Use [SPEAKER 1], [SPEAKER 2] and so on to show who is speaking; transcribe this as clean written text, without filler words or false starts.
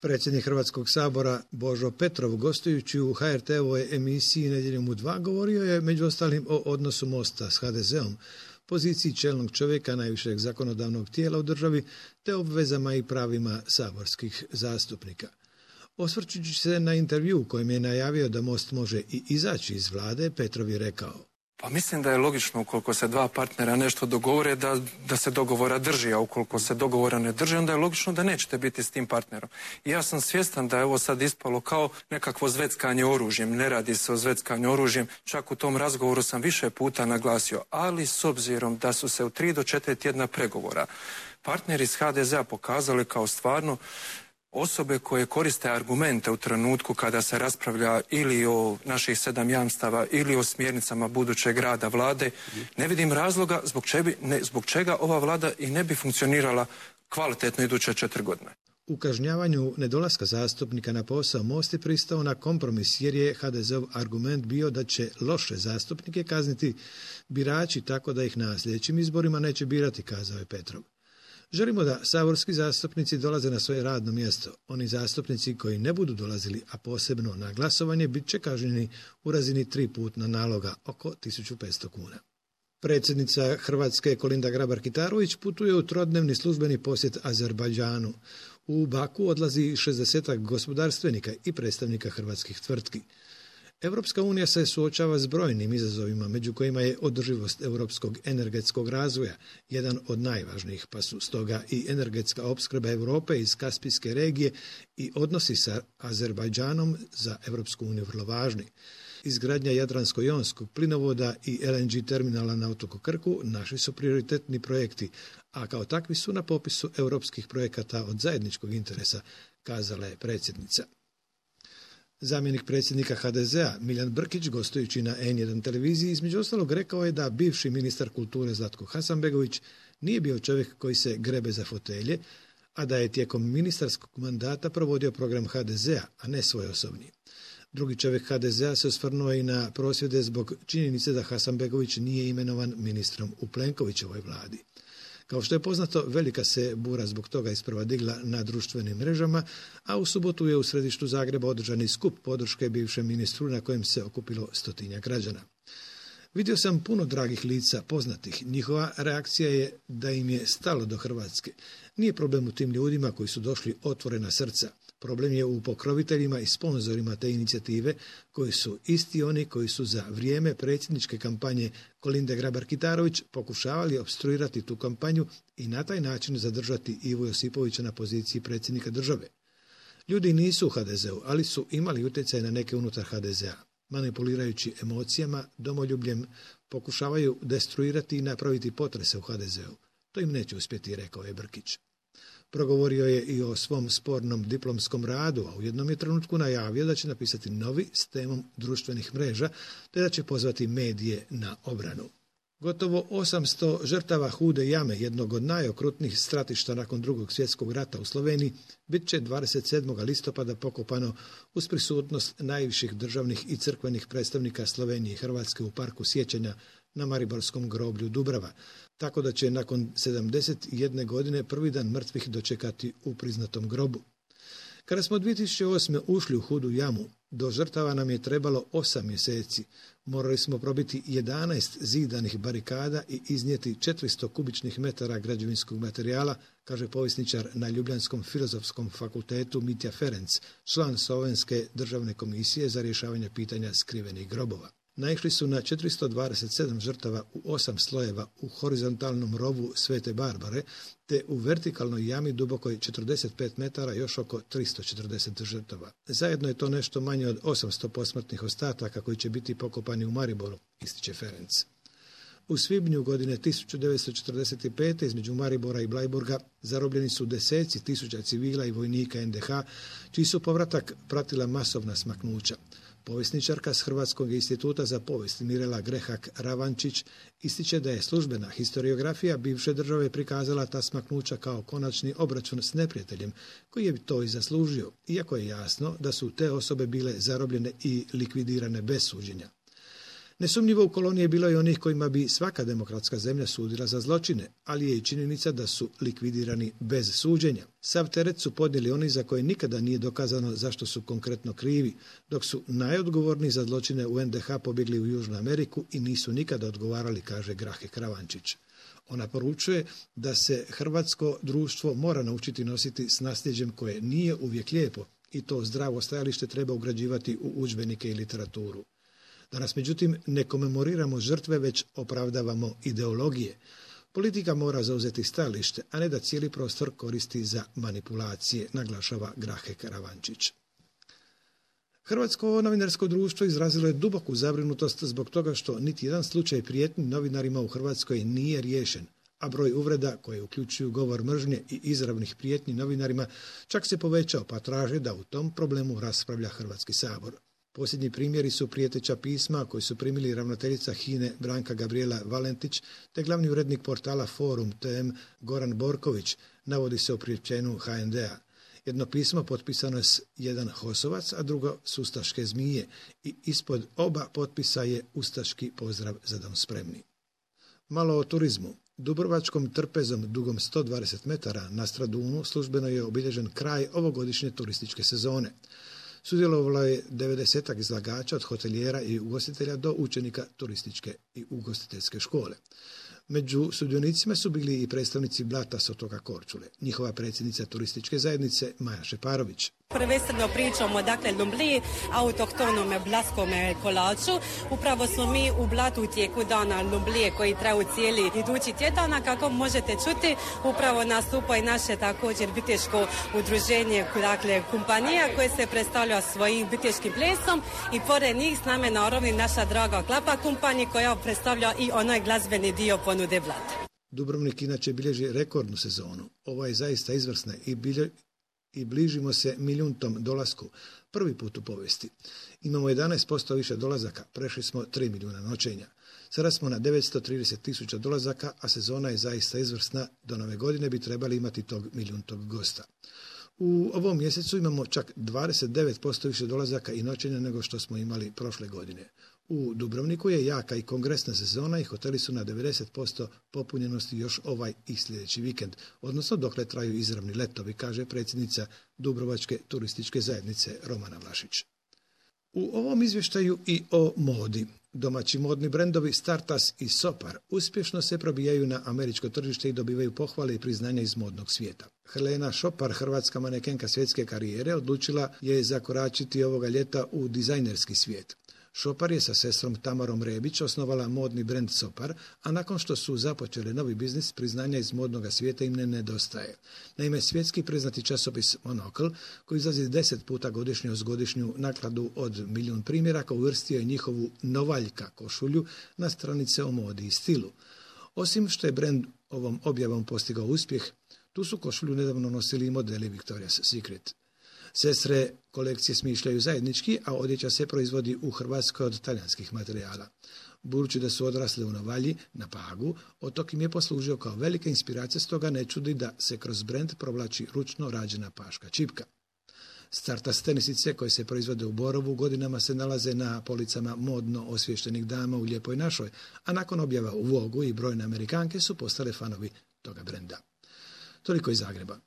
[SPEAKER 1] Predsjednik Hrvatskog sabora Božo Petrov, gostujući u HRT-ovoj emisiji Nedjeljom u 2, govorio je među ostalim o odnosu Mosta s HDZ-om, poziciji čelnog čovjeka najvišeg zakonodavnog tijela u državi, te obvezama i pravima saborskih zastupnika. Osvrćući se na intervju u kojem je najavio da Most može i izaći iz vlade, Petrov je rekao:
[SPEAKER 2] Pa mislim da je logično ukoliko se dva partnera nešto dogovore da se dogovora drži, a ukoliko se dogovora ne drži, onda je logično da nećete biti s tim partnerom. I ja sam svjestan da je ovo sad ispalo kao nekakvo zveckanje oružjem. Ne radi se o zveckanju oružjem, čak u tom razgovoru sam više puta naglasio, ali s obzirom da su se u 3 do 4 tjedna pregovora partneri iz HDZ-a pokazali kao stvarno osobe koje koriste argumente u trenutku kada se raspravlja ili o naših 7 jamstava ili o smjernicama budućeg rada vlade, ne vidim razloga zbog čega ova vlada i ne bi funkcionirala kvalitetno iduće 4 godine.
[SPEAKER 1] U kažnjavanju nedolaska zastupnika na posao Most je pristao na kompromis jer je HDZ-ov argument bio da će loše zastupnike kazniti birači tako da ih na sljedećim izborima neće birati, kazao je Petrov. Želimo da saborski zastupnici dolaze na svoje radno mjesto. Oni zastupnici koji ne budu dolazili, a posebno na glasovanje, bit će kažnjeni u razini 3 putna naloga, oko 1500 kuna. Predsjednica Hrvatske Kolinda Grabar-Kitarović putuje u trodnevni službeni posjet Azerbajdžanu. U Baku odlazi 60 gospodarstvenika i predstavnika hrvatskih tvrtki. Europska unija se suočava s brojnim izazovima, među kojima je održivost europskog energetskog razvoja, jedan od najvažnijih, pa su stoga i energetska opskrba Europe iz Kaspijske regije i odnosi sa Azerbajdžanom za Europsku uniju vrlo važni. Izgradnja Jadransko-jonskog plinovoda i LNG terminala na otoku Krku naši su prioritetni projekti, a kao takvi su na popisu europskih projekata od zajedničkog interesa, kazala je predsjednica. Zamjenik predsjednika HDZ-a Miljan Brkić, gostujući na N1 televiziji, između ostalog rekao je da bivši ministar kulture Zlatko Hasanbegović nije bio čovjek koji se grebe za fotelje, a da je tijekom ministarskog mandata provodio program HDZ-a, a ne svoj osobni. Drugi čovjek HDZ-a se osvrnuo i na prosvjede zbog činjenice da Hasanbegović nije imenovan ministrom u Plenkovićevoj vladi. Kao što je poznato, velika se bura zbog toga isprva digla na društvenim mrežama, a u subotu je u središtu Zagreba održani skup podrške bivšem ministru na kojem se okupilo 100-tinjak građana. Vidio sam puno dragih lica, poznatih. Njihova reakcija je da im je stalo do Hrvatske. Nije problem u tim ljudima koji su došli otvorena srca. Problem je u pokroviteljima i sponzorima te inicijative koji su isti oni koji su za vrijeme predsjedničke kampanje Kolinde Grabar-Kitarović pokušavali opstruirati tu kampanju i na taj način zadržati Ivu Josipovića na poziciji predsjednika države. Ljudi nisu u HDZ-u, ali su imali utjecaj na neke unutar HDZ-a. Manipulirajući emocijama, domoljubljem, pokušavaju destruirati i napraviti potrese u HDZ-u. To im neće uspjeti, rekao je Brkić. Progovorio je i o svom spornom diplomskom radu, a u jednom je trenutku najavio da će napisati novi s temom društvenih mreža, te da će pozvati medije na obranu. Gotovo 800 žrtava Hude jame, jednog od najokrutnijih stratišta nakon Drugog svjetskog rata u Sloveniji, bit će 27. listopada pokopano uz prisutnost najviših državnih i crkvenih predstavnika Slovenije i Hrvatske u parku sjećanja na Mariborskom groblju Dubrava, tako da će nakon 71 godine prvi dan mrtvih dočekati u priznatom grobu. Kada smo 2008. ušli u Hudu jamu, do žrtava nam je trebalo 8 mjeseci. Morali smo probiti 11 zidanih barikada i iznijeti 400 kubičnih metara građevinskog materijala, kaže povjesničar na Ljubljanskom filozofskom fakultetu Mitja Ferenc, član Slovenske državne komisije za rješavanje pitanja skrivenih grobova. Naišli su na 427 žrtava u 8 slojeva u horizontalnom rovu Svete Barbare, te u vertikalnoj jami dubokoj 45 metara još oko 340 žrtava. Zajedno je to nešto manje od 800 posmrtnih ostataka koji će biti pokopani u Mariboru, ističe Ferenc. U svibnju godine 1945. između Maribora i Blajburga zarobljeni su deseci tisuća civila i vojnika NDH, čiji su povratak pratila masovna smaknuća. Povjesničarka s Hrvatskog instituta za povijest Mirela Grehak-Ravančić ističe da je službena historiografija bivše države prikazala ta smaknuća kao konačni obračun s neprijateljem, koji je to i zaslužio, iako je jasno da su te osobe bile zarobljene i likvidirane bez suđenja. Nesumnjivo u koloniji je bilo i onih kojima bi svaka demokratska zemlja sudila za zločine, ali je i činjenica da su likvidirani bez suđenja. Sav teret su podnijeli oni za koje nikada nije dokazano zašto su konkretno krivi, dok su najodgovorniji za zločine u NDH pobjegli u Južnu Ameriku i nisu nikada odgovarali, kaže Grahe Kravančić. Ona poručuje da se hrvatsko društvo mora naučiti nositi s nasljeđem koje nije uvijek lijepo i to zdravo stajalište treba ugrađivati u udžbenike i literaturu. Danas, međutim, ne komemoriramo žrtve, već opravdavamo ideologije. Politika mora zauzeti stajalište, a ne da cijeli prostor koristi za manipulacije, naglašava Grahe Kravančić. Hrvatsko novinarsko društvo izrazilo je duboku zabrinutost zbog toga što niti jedan slučaj prijetnji novinarima u Hrvatskoj nije riješen, a broj uvreda koje uključuju govor mržnje i izravnih prijetnji novinarima čak se povećao, pa traže da u tom problemu raspravlja Hrvatski sabor. Posljednji primjeri su prijeteća pisma koji su primili ravnateljica HINA-e Branka Gabrijela Valentić te glavni urednik portala Forum TM Goran Borković, navodi se o priopćenju HND-a. Jedno pismo potpisano je s jedan Hosovac, a drugo s ustaške Zmije i ispod oba potpisa je ustaški pozdrav za dom spremni. Malo o turizmu. Dubrovačkom trpezom dugom 120 metara na Stradunu službeno je obilježen kraj ovogodišnje turističke sezone. Sudjelovalo je 90 izlagača od hotelijera i ugostitelja do učenika turističke i ugostiteljske škole. Među sudionicima su bili i predstavnici Blata s otoka Korčule. Njihova predsjednica turističke zajednice Maja Šeparović.
[SPEAKER 3] Prvenstveno pričamo o Lumbliji, autohtonome blaskome kolaču. Upravo smo mi u Blatu u tijeku dana Lumblije koji traju cijeli idući tjedana. Kako možete čuti, upravo nastupa i naše također biteško udruženje, kompanija koje se predstavlja svojim biteškim plesom i pored njih s nama na Orovni naša draga Klapa kompanija koja predstavlja i onaj glazbeni dio ponude Blata.
[SPEAKER 1] Dubrovnik inače bilježi rekordnu sezonu. Ovo je zaista izvrsna i bližimo se milijuntom dolasku, prvi put u povijesti. Imamo 11% više dolazaka, prešli smo 3 milijuna noćenja. Sada smo na 930.000 dolazaka, a sezona je zaista izvrsna. Do nove godine bi trebali imati tog milijuntog gosta. U ovom mjesecu imamo čak 29% više dolazaka i noćenja nego što smo imali prošle godine. U Dubrovniku je jaka i kongresna sezona i hoteli su na 90% popunjenosti još ovaj i sljedeći vikend, odnosno dokle traju izravni letovi, kaže predsjednica Dubrovačke turističke zajednice Romana Vlašić. U ovom izvještaju i o modi. Domaći modni brendovi Startas i Sopar uspješno se probijaju na američko tržište i dobivaju pohvale i priznanja iz modnog svijeta. Helena Šopar, hrvatska manekenka svjetske karijere, odlučila je zakoračiti ovoga ljeta u dizajnerski svijet. Šopar je sa sestrom Tamarom Rebić osnovala modni brend Sopar, a nakon što su započeli novi biznis, priznanja iz modnog svijeta im ne nedostaje. Naime, svjetski priznati časopis Monocle, koji izlazi 10 puta godišnje uz godišnju nakladu od 1 milijun primjeraka, uvrstio je njihovu Novaljka košulju na stranice o modi i stilu. Osim što je brend ovom objavom postigao uspjeh, tu su košulju nedavno nosili i modeli Victoria's Secret. Sestre kolekcije smišljaju zajednički, a odjeća se proizvodi u Hrvatskoj od talijanskih materijala. Budući da su odrasle u Novalji, na Pagu, otok im je poslužio kao velika inspiracija, stoga ne čudi da se kroz brend provlači ručno rađena paška čipka. Startas tenisice koje se proizvode u Borovu godinama se nalaze na policama modno osviještenih dama u Lijepoj našoj, a nakon objava u Vogu i brojne Amerikanke su postale fanovi toga brenda. Toliko iz Zagreba.